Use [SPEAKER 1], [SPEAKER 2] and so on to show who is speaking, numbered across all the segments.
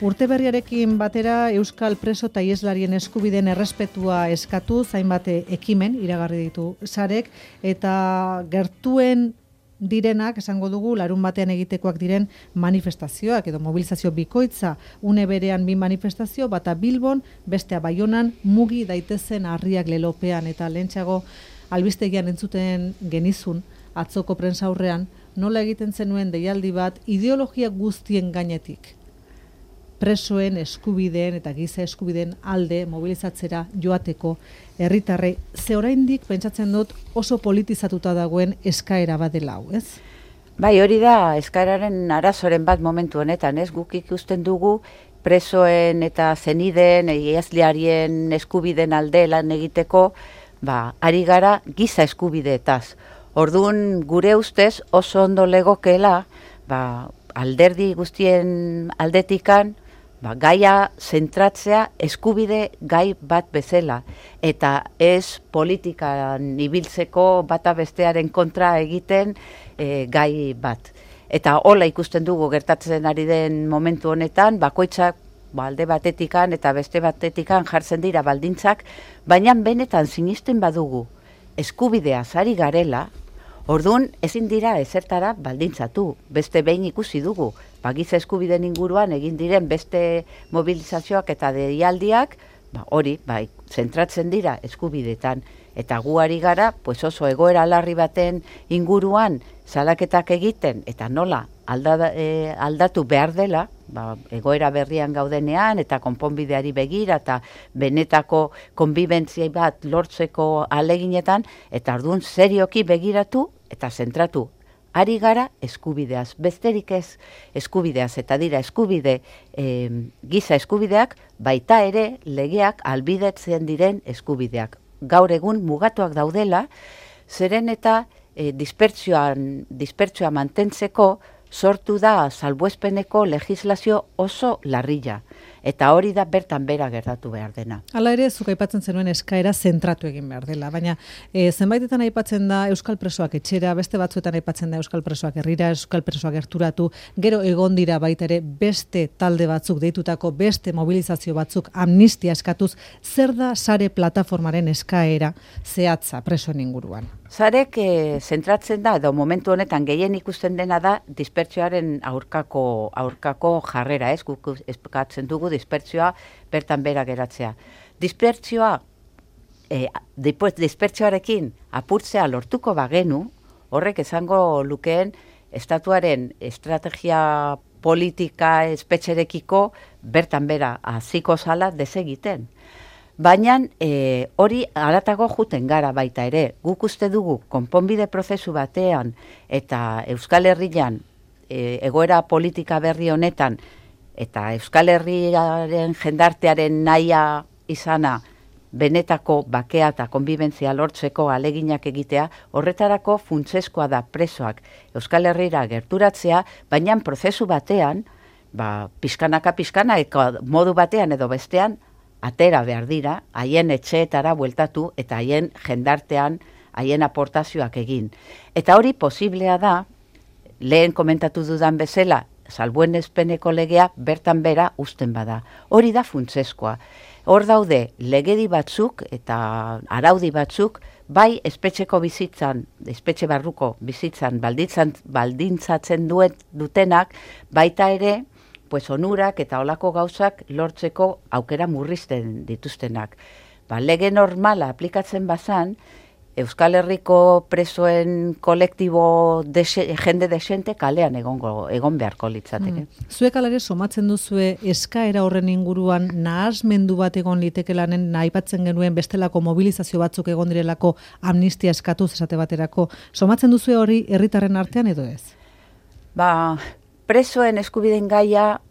[SPEAKER 1] Urte berriarekin batera Euskal preso eta ieslarien eskubideen errespetua eskatu, hainbat ekimen iragarri ditu sarek, eta gertuen direnak, esango dugu, larun batean egitekoak diren manifestazioak edo mobilizazio bikoitza, une berean 2 manifestazio, bata Bilbon, bestea Baionan, mugi daitezen harriak lelopean, eta lehentxeago albistegian entzuten genizun, atzoko prentsaurrean, nola egiten zenuen deialdi bat ideologia guztien gainetik presoen eskubideen eta giza eskubideen alde mobilizatzera joateko herritarrei. Ze oraindik pentsatzen dut oso politizatuta dagoen eskaera bat dela hau, ez?
[SPEAKER 2] Bai, hori da eskaeraren arazoren bat momentu honetan, ez? Guk ikusten dugu presoen eta zenideen, ieslarien eskubideen alde lan egiteko, ari gara giza eskubideetaz. Orduan gure ustez oso ondo legokeela, alderdi guztien aldetikan, gaia zentratzea eskubide gai bat bezala, eta ez politikan ibiltzeko bata bestearen kontra egiten gai bat. Eta hola ikusten dugu gertatzen ari den momentu honetan, bakoitzak alde batetikan eta beste batetikan jartzen dira baldintzak, baina benetan sinisten badugu eskubideaz ari garela, orduan ezin dira ezertara baldintzatu, beste behin ikusi dugu, giza eskubideen inguruan egin diren beste mobilizazioak eta deialdiak, hori, zentratzen dira eskubidetan, eta gu ari gara, oso egoera larri baten inguruan salaketak egiten, eta nola aldatu behar dela, egoera berrian gaudenean, eta konponbideari begira, eta benetako konbibentzia bat lortzeko aleginetan, eta orduan serioki begiratu eta zentratu. Ari gara eskubideaz, besterik ez eskubideaz, eta dira eskubide, giza eskubideak, baita ere legeak albidetzen diren eskubideak. Gaur egun mugatuak daudela, zeren eta dispertsioa mantentzeko sortu da salbuespeneko legislazio oso larrilla. Eta hori da bertan bera gertatu behar dena.
[SPEAKER 1] Hala ere, zuk aipatzen zenuen eskaera zentratu egin behar dela, baina zenbaitetan aipatzen da Euskal presoak etxera, beste batzuetan aipatzen da Euskal presoak herrira, Euskal presoak gerturatu, gero egon dira baita ere beste talde batzuk deitutako, beste mobilizazio batzuk amnistia eskatuz, zer da sare plataformaren eskaera zehatza presoen inguruan?
[SPEAKER 2] Sarek zentratzen da, edo momentu honetan gehien ikusten dena da dispertsioaren aurkako jarrera, ez? Guk eskatzen dugu dispertsioa bertan bera geratzea. Dispertsioarekin apurtzea lortuko bagenu, horrek esango lukeen estatuaren estrategia politika espetxerekiko bertan bera hasiko zala desegiten. Baina hori haratago juten gara baita ere. Guk uste dugu konponbide prozesu batean eta Euskal Herrian egoera politika berri honetan eta Euskal Herriaren jendartearen nahia izana benetako bakea eta konbibentzia lortzeko aleginak egitea, horretarako funtsezkoa da presoak Euskal Herrira gerturatzea, baina prozesu batean, pixkanaka modu batean edo bestean, atera behar dira, haien etxeetara bueltatu eta haien jendartean, haien aportazioak egin. Eta hori posiblea da, lehen komentatu dudan bezala, salbuespeneko legea bertan bera uzten bada. Hori da funtsezkoa. Hor daude legedi batzuk eta araudi batzuk, bai espetxeko bizitzan, espetxe barruko bizitzan baldintzatzen dutenak, baita ere, onurak eta olako gauzak lortzeko aukera murrizten dituztenak. Lege normala aplikatzen bazan, Euskal Herriko presoen kolektibo jende desente kalean egon beharko litzateke.
[SPEAKER 1] Zuek alare somatzen duzue eskaera horren inguruan nahasmendu bat egon litekelanen aipatzen genuen bestelako mobilizazio batzuk egon direlako amnistia eskatuz esate baterako. Somatzen duzue hori herritarren artean edo ez?
[SPEAKER 2] Presoen eskubideen gaia,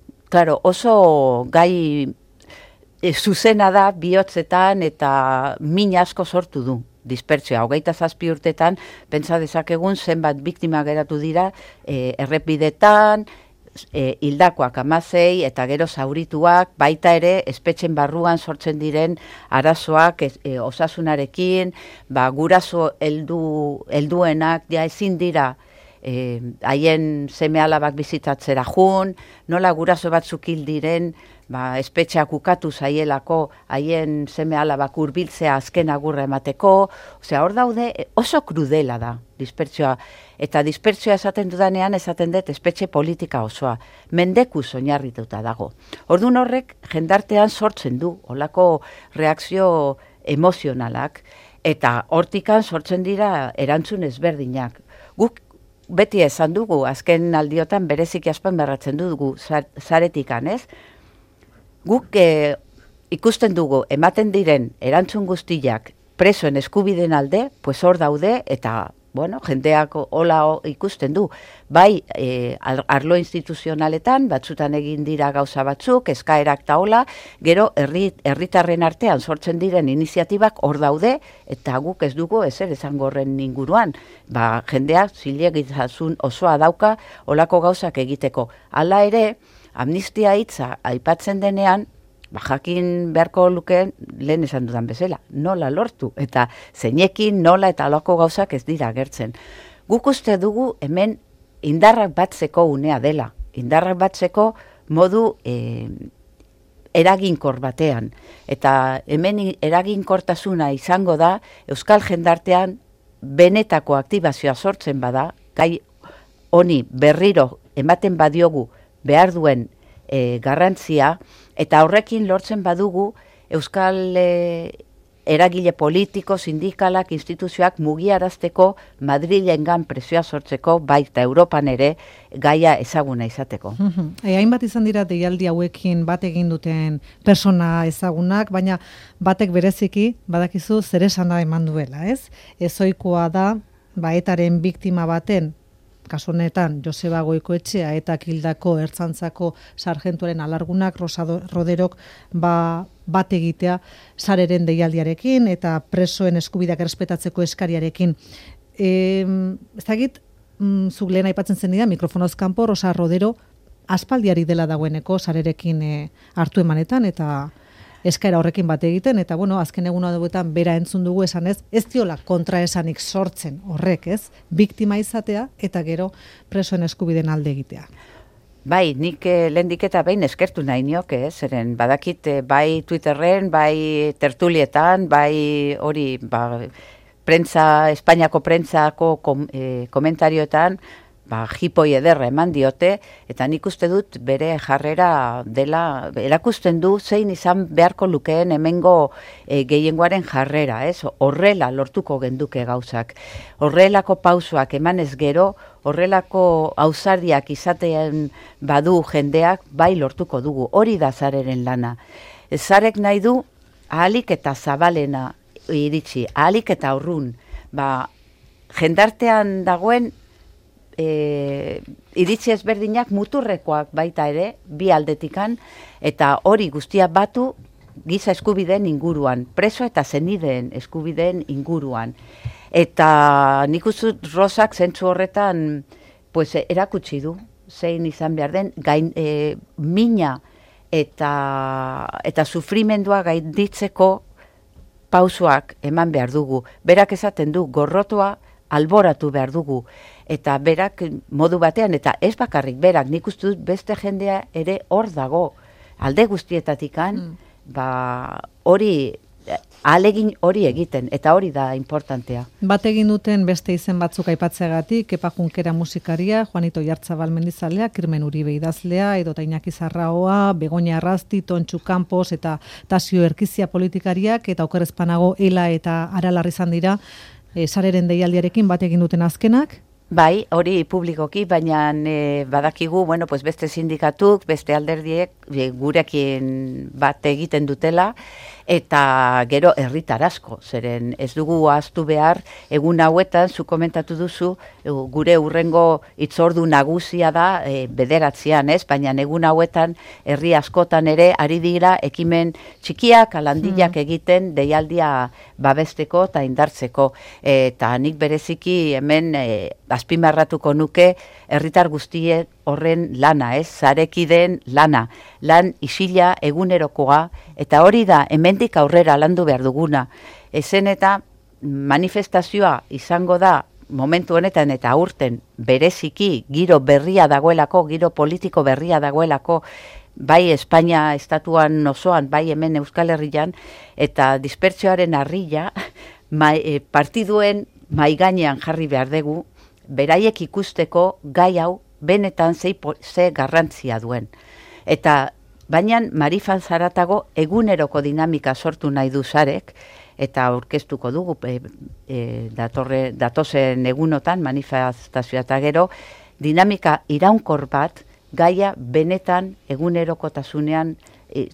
[SPEAKER 2] oso gai zuzena da bihotzetan eta min asko sortu du dispertsioa. 27 urtetan, pentsa dezakegun zenbat biktima geratu dira errepidetan, hildakoak 16 eta gero zaurituak, baita ere espetxen barruan sortzen diren arazoak osasunarekin, guraso helduenak ezin dira haien seme-alabak bizitatzera jun, nola guraso batzuk hil diren, espetxeak ukatu zaielako haien seme-alabak hurbiltzea azken agurra emateko, hor daude oso krudela da dispertsioa, eta dispertsioa esaten dudanean esaten dut espetxe politika osoa, mendekuz oinarrituta dago. Orduan horrek jendartean sortzen du, olako reakzio emozionalak, eta hortikan sortzen dira erantzun ezberdinak. Guk beti esan dugu, azken aldiotan bereziki azpimarratzen dugu zaretikan, ez? Guk ikusten dugu, ematen diren erantzun guztiak presoen eskubideen alde, pues hor daude, eta jendeak hola ikusten du. Bai, arlo instituzionaletan, batzutan egin dira gauza batzuk, eskaerak ta hola, gero herritarren artean sortzen diren iniziatibak hor daude, eta guk ez dugu ezer esango horren inguruan. Jendeak zilegitasun osoa dauka holako gauzak egiteko. Hala ere, amnistia hitza aipatzen denean, jakin beharko lukeen lehen esan dudan bezala, nola lortu, eta zeinekin nola eta alako gauzak ez dira agertzen. Guk uste dugu hemen indarrak batzeko unea dela, indarrak batzeko modu eraginkor batean, eta hemen eraginkortasuna izango da euskal jendartean benetako aktibazioa sortzen bada, gai honi berriro ematen badiogu behar duen garrantzia, eta horrekin lortzen badugu euskal eragile politiko, sindikalak, instituzioak mugiarazteko Madrilengan presioa sortzeko, baita Europan ere gaia ezaguna izateko.
[SPEAKER 1] Hainbat izan dira deialdi hauekin bat egin duten persona ezagunak, baina batek bereziki badakizu zer esana eman duela, ez? Ezoikoa da, etaren biktima baten, kasu honetan Joseba Goikoetxea eta Kildako Ertzaintzako sarjentuaren alargunak Roderok bat egitea sareren deialdiarekin eta presoen eskubideak errespetatzeko eskariarekin. Ez dakit, zuk lehen aipatzen zen dira, mikrofonoz kanpo Rosa Rodero aspaldiari dela dagoeneko sarerekin hartu emanetan eta eskaera horrekin bat egiten, eta azken egun hauetan bera entzun dugu esanez, ez diola kontraesanik sortzen horrek, ez? Biktima izatea eta gero presoen eskubideen alde egitea.
[SPEAKER 2] Bai, nik lehendik eta behin eskertu nahi nioke, zeren badakit bai Twitterren, bai tertulietan, bai hori, Espainiako prentsako komentarioetan, jipoi ederra eman diote, eta nik uste dut bere jarrera dela, erakusten du zein izan beharko lukeen hemengo gehiengoaren jarrera, ez? Horrela lortuko genduke gauzak. Horrelako pausoak emanez gero, horrelako ausardiak izatean badu jendeak, bai lortuko dugu. Hori da zareren lana. Zarek nahi du ahalik eta zabalena iritsi, ahalik eta urrun. Jendartean dagoen iritsi ezberdinak muturrekoak baita ere, bi aldetikan, eta hori guztia batu giza eskubideen inguruan, preso eta zenideen eskubideen inguruan. Eta nik uste Rosak zentzu horretan erakutsi du, zein izan behar den, mina eta sufrimendua gainditzeko pausoak eman behar dugu. Berak esaten du, gorrotoa alboratu behar dugu, eta berak modu batean, eta ez bakarrik berak, nik uste dut beste jendea ere hor dago, alde guztietatikan, hori, ahalegin hori egiten, eta hori da importantea.
[SPEAKER 1] Bat egin duten beste izen batzuk aipatzeagatik, Kepa Junkera musikaria, Juanito Jartzabal mendizalea, Kirmen Uribe idazlea, edota Iñaki Zarraoa, Begoña Arrasti, Tontxu Campos, eta Tasio Erkizia politikariak, eta Oker Espanago, Ela eta Aralarri izan dira, sareren deialdiarekin bat egin duten azkenak?
[SPEAKER 2] Bai, hori publikoki, baina badakigu, beste sindikatuk, beste alderdiek gurekin bat egiten dutela, eta gero herritar asko, zeren ez dugu ahaztu behar, egun hauetan, zu komentatu duzu, gure hurrengo hitzordu nagusia da bederatzean, ez? Baina egun hauetan, herri askotan ere, ari dira, ekimen txikiak, alandilak egiten, deialdia babesteko eta indartzeko. Eta nik bereziki hemen azpimarratuko nuke, herritar guztiek horren lana, ez? Zarekideen lana. Lan isila egunerokoa, eta hori da hemendik aurrera landu behar duguna. Ezen eta manifestazioa izango da momentu honetan eta aurten bereziki giro berria dagoelako, giro politiko berria dagoelako, bai Espainia estatuan osoan, bai hemen Euskal Herrian, eta dispertsioaren harrila partiduen maigainean jarri behar dugu, beraiek ikusteko gai hau benetan ze garrantzia duen. Eta baina Marifan zaratago eguneroko dinamika sortu nahi du Sarek, eta aurkeztuko dugu datozen egunotan, manifestazioa eta gero, dinamika iraunkor bat, gaia benetan egunerokotasunean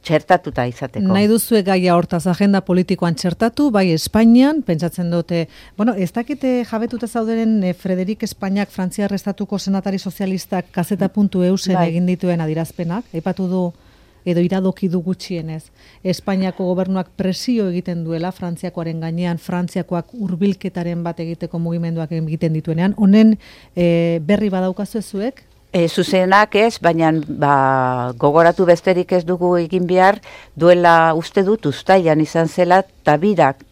[SPEAKER 2] txertatuta izateko.
[SPEAKER 1] Nahi duzue gaia hortaz agenda politikoan txertatu, bai Espainian, pentsatzen dute, bueno, ez dakite jabetuta zauderen Frederik Espainiak Frantziar Estatuko senatari sozialistak kazeta.eusen egin dituen adirazpenak, aipatu du edo iradoki du gutxienez. Espainiako gobernuak presio egiten duela Frantziakoaren gainean, Frantziakoak hurbilketaren bat egiteko mugimenduak egiten dituenean. Honen berri badaukazu zuek?
[SPEAKER 2] Zuzenak ez, baina gogoratu besterik ez dugu egin behar, duela uste dut uztailan izan zela, eta birak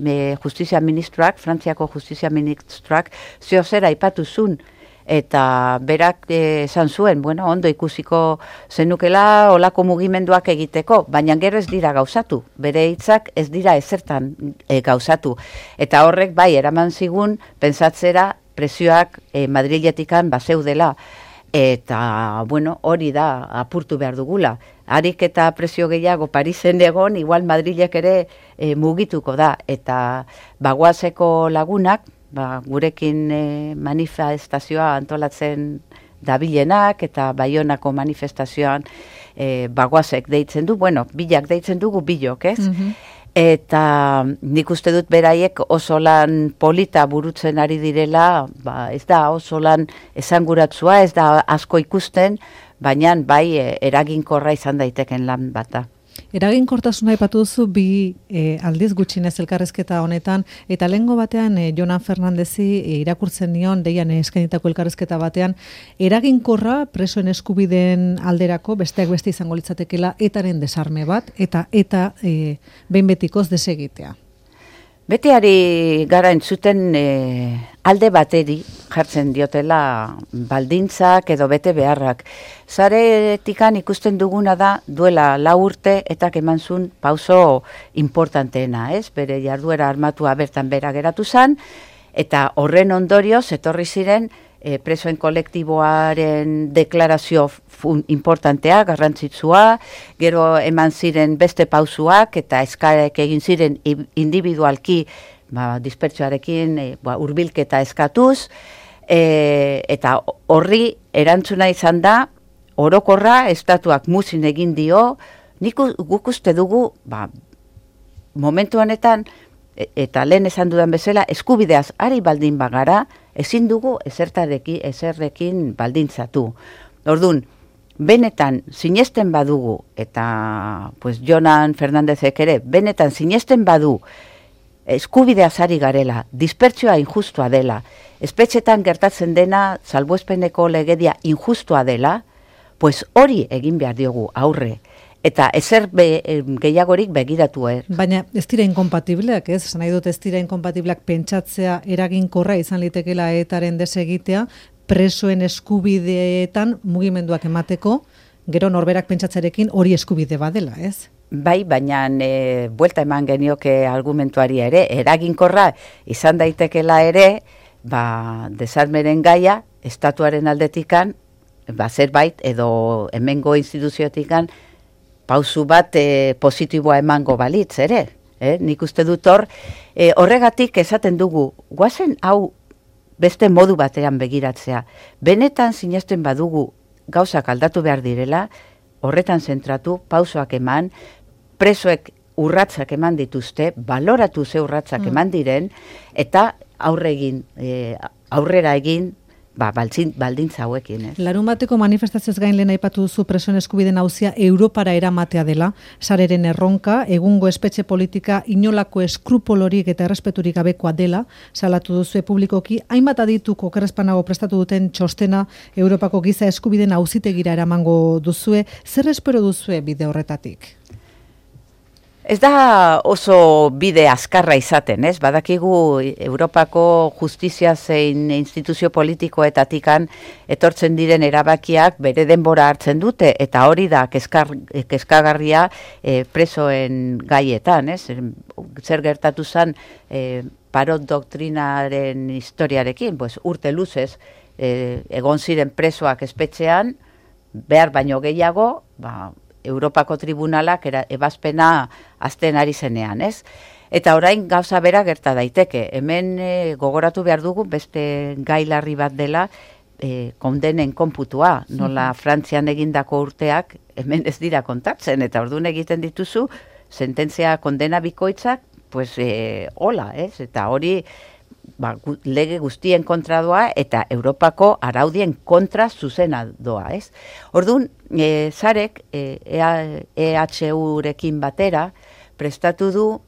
[SPEAKER 2] justizia ministroak, Frantziako justizia ministroak, zehozera aipatu zuen, eta berak esan zuen, bueno, ondo ikusiko zenukela olako mugimenduak egiteko, baina gero ez dira gauzatu, bere hitzak ez dira ezertan gauzatu. Eta horrek bai, eraman zigun, pentsatzera presioak Madriletikan bazeudela, eta, bueno, hori da apurtu behar dugula. Harik eta presio gehiago Parisen egon, igual Madrilek ere mugituko da, eta bagoazeko lagunak, gurekin manifestazioa antolatzen dabilenak eta Baionako manifestazioan bagoazek deitzen du, bueno, bilak deitzen dugu bilok, ez? Eta nik uste dut beraiek oso lan polita burutzen ari direla, ez da oso lan esanguratsua, ez da asko ikusten, baina bai eraginkorra izan daiteken lan bata.
[SPEAKER 1] Eraginkortasuna aipatu duzu bi aldiz gutxinez elkarrezketa honetan, eta lehengo batean Jonan Fernandezi irakurtzen nion, deian eskainitako elkarrezketa batean, eraginkorra presoen eskubideen alderako besteak beste izango litzatekela etaren desarme bat, eta behin betikoz desegitea.
[SPEAKER 2] Beteari gara entzuten alde bateri jartzen diotela baldintzak edo bete beharrak. Zaretikan ikusten duguna da duela 4 urte eta eman zuen pauso importanteena, ez? Bere jarduera armatua bertan bera geratu zen, eta horren ondorioz etorri ziren presoen kolektiboaren deklarazio importantea, garrantzitsua, gero eman ziren beste pausuak eta eskarek egin ziren individualki dispertsioarekin hurbilketa eskatuz, eta horri erantzuna izan da, orokorra estatuak muzin egin dio, guk uste dugu, momentu honetan, eta lehen esan dudan bezala, eskubideaz ari baldin bagara, ezin dugu ezerrekin baldintzatu. Orduan, benetan sinesten badugu, eta Jonan Fernandezek ere, benetan sinesten badu, eskubideaz ari garela, dispertsioa injustua dela, espetxetan gertatzen dena, salbuespeneko legedia injustua dela, hori egin behar diogu aurre. Eta ezer gehiagorik begiratu.
[SPEAKER 1] Baina ez dira inkompatibleak, ez? Nahi dut ez dira inkompatibleak pentsatzea eraginkorra izan litekela etaren desegitea, presoen eskubideetan mugimenduak emateko, gero norberak pentsatzerekin hori eskubide badela, ez?
[SPEAKER 2] Bai, baina buelta eman genioke argumentuari ere, eraginkorra izan daitekela ere, desarmeren gaia, estatuaren aldetikan, zerbait edo hemengo instituziotikan, pausu bat positiboa emango balitz, ere? Nik uste dut horregatik esaten dugu, guazen hau beste modu batean begiratzea. Benetan sinesten badugu gauzak aldatu behar direla, horretan zentratu, pausoak eman, presoek urratsak eman dituzte, baloratu ze urratsak eman diren, eta aurrera egin, baldintza hauekin, ez?
[SPEAKER 1] Larunbateko manifestazioz gain lehen aipatu duzu presoen eskubideen auzia Europara eramatea dela, Sareren erronka, egungo espetxe politika inolako eskrupolorik eta errespeturik gabekoa dela, salatu duzu publikoki, hainbat adituk okerrezpanago prestatu duten txostena Europako giza eskubideen auzitegira eramango duzue, zer espero duzue bide horretatik?
[SPEAKER 2] Ez da oso bide azkarra izaten, ez? Badakigu Europako justizia zein instituzio politikoetatikan etortzen diren erabakiak bere denbora hartzen dute, eta hori da kezkagarria presoen gaietan, ez? Zer gertatu zen Parot doktrinaren historiarekin, pues, urte luzez egon ziren presoak espetxean, behar baino gehiago, Europako tribunalak ebazpena azten ari zenean, ez? Eta orain gauza bera gerta daiteke. Hemen gogoratu behar dugu beste gai larri bat dela kondenen konputua. Nola Frantzian egindako urteak hemen ez dira kontatzen, eta orduan egiten dituzu sententzia kondena bikoitzak, pues hola, ez? Eta hori lege guztien kontra doa eta Europako araudien kontra zuzena doa, ez? Orduan, Sarek EHU-rekin batera prestatu du,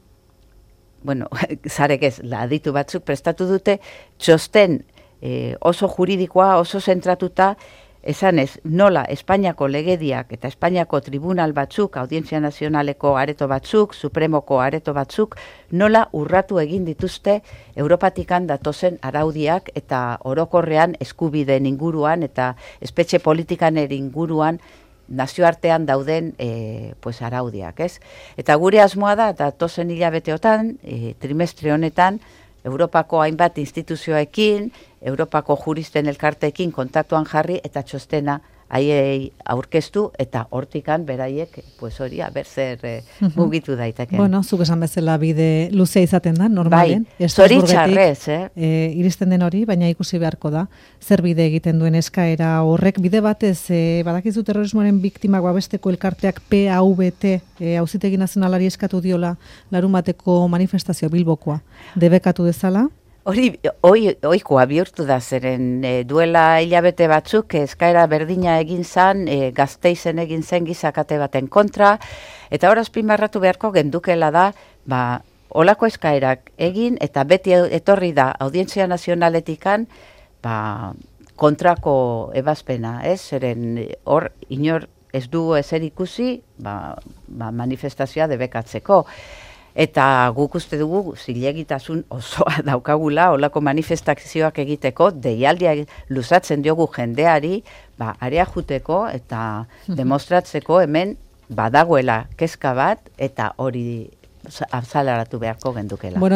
[SPEAKER 2] bueno, Sarek ez, aditu batzuk prestatu dute, txosten oso juridikoa, oso zentratuta, esanez, nola Espainiako legediak eta Espainiako tribunal batzuk, Audientzia Nazionaleko areto batzuk, Supremoko areto batzuk, nola urratu egin dituzte Europatikan datozen araudiak eta orokorrean eskubideen inguruan eta espetxe politikan inguruan nazioartean dauden pues araudiak, ez? Eta gure asmoa da, datozen hilabeteotan, trimestre honetan, Europako hainbat instituzioekin, Europako juristen elkarteekin kontaktuan jarri eta txostena haiei aurkeztu eta hortikan beraiek pues hori zer mugitu daiteke.
[SPEAKER 1] Bueno, zuk esan bezala bide luzea izaten da, normalen.
[SPEAKER 2] Bai, zoritxarrez,
[SPEAKER 1] iristen den hori, baina ikusi beharko da, zer bide egiten duen eskaera horrek bide batez, badakizu terrorismoaren biktimak babesteko elkarteak PAVT, Auzitegi Nazionalari eskatu diola larunbateko manifestazio Bilbokoa, debekatu dezala?
[SPEAKER 2] Hori ohikoa bihurtu da, zeren duela hilabete batzuk eskaera berdina egin zen, Gasteizen egin zen gizakate baten kontra, eta hor azpimarratu beharko gendukela da, olako eskaerak egin, eta beti etorri da Audientzia Nazionaletikan, kontrako ebazpena, ez? Zeren hor inor ez du ezer ikusi, manifestazioa debekatzeko. Eta guk uste dugu zilegitasun osoa daukagula olako manifestazioak egiteko, deialdia luzatzen diogu jendeari, areajuteko eta demostratzeko hemen badagoela kezka bat eta hori azalaratu beharko gendukela.
[SPEAKER 1] Bueno,